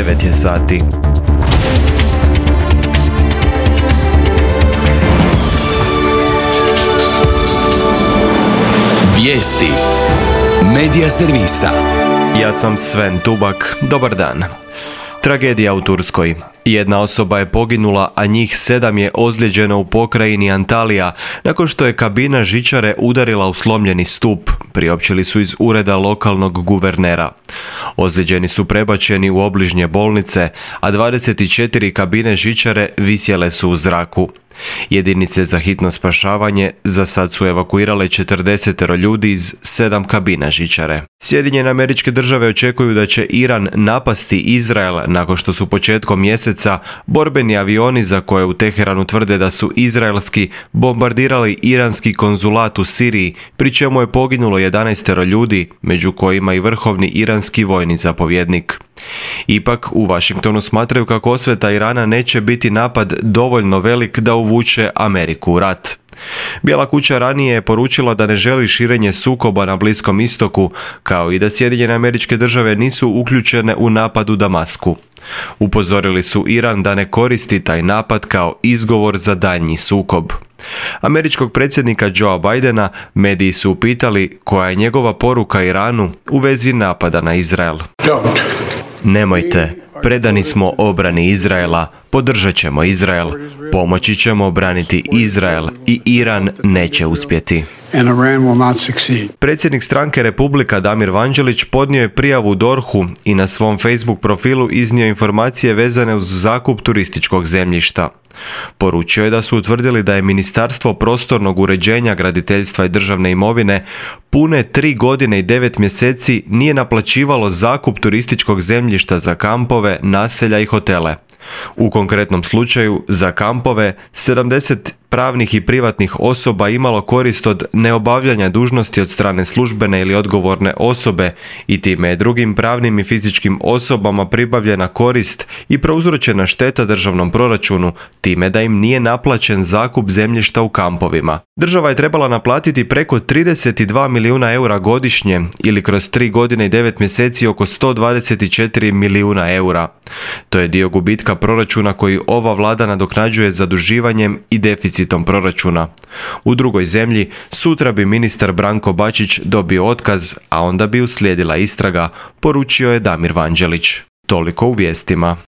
9 je sati. Vijesti Medija servisa. Ja sam Sven Tubak, dobar dan. Tragedija u Turskoj. Jedna osoba je poginula, a njih 7 je ozlijeđeno u pokrajini Antalija nakon što je kabina žičare udarila u slomljeni stup, priopćili su iz ureda lokalnog guvernera. Ozlijeđeni su prebačeni u obližnje bolnice, a 24 kabine žičare visjele su u zraku. Jedinice za hitno spašavanje za sad su evakuirale 40 ljudi iz 7 kabina žičare. Sjedinjene Američke Države očekuju da će Iran napasti Izrael nakon što su početkom mjeseca borbeni avioni za koje u Teheranu tvrde da su izraelski bombardirali iranski konzulat u Siriji, pri čemu je poginulo 11 ljudi, među kojima i vrhovni iranski vojni zapovjednik. Ipak, u Washingtonu smatraju kako osveta Irana neće biti napad dovoljno velik da uvuče Ameriku u rat. Bijela kuća ranije je poručila da ne želi širenje sukoba na Bliskom istoku, kao i da Sjedinjene Američke Države nisu uključene u napad u Damasku. Upozorili su Iran da ne koristi taj napad kao izgovor za daljnji sukob. Američkog predsjednika Joea Bidena mediji su upitali koja je njegova poruka Iranu u vezi napada na Izrael. Nemojte, predani smo obrani Izraela, podržat ćemo Izrael, pomoći ćemo obraniti Izrael i Iran neće uspjeti. Predsjednik stranke Republika Damir Vanđelić podnio je prijavu DORH-u i na svom Facebook profilu iznio informacije vezane uz zakup turističkog zemljišta. Poručio je da su utvrdili da je Ministarstvo prostornog uređenja, graditeljstva i državne imovine pune 3 godine i 9 mjeseci nije naplaćivalo zakup turističkog zemljišta za kampove, naselja i hotele. U konkretnom slučaju, za kampove, 70 pravnih i privatnih osoba imalo korist od neobavljanja dužnosti od strane službene ili odgovorne osobe i time je drugim pravnim i fizičkim osobama pribavljena korist i prouzročena šteta državnom proračunu, time da im nije naplaćen zakup zemljišta u kampovima. Država je trebala naplatiti preko 32 milijuna eura godišnje ili kroz 3 godine i 9 mjeseci oko 124 milijuna eura. To je dio gubitka proračuna koji ova vlada nadoknađuje zaduživanjem i deficitom proračuna. U drugoj zemlji sutra bi ministar Branko Bačić dobio otkaz, a onda bi uslijedila istraga, poručio je Damir Vanđelić. Toliko u vijestima.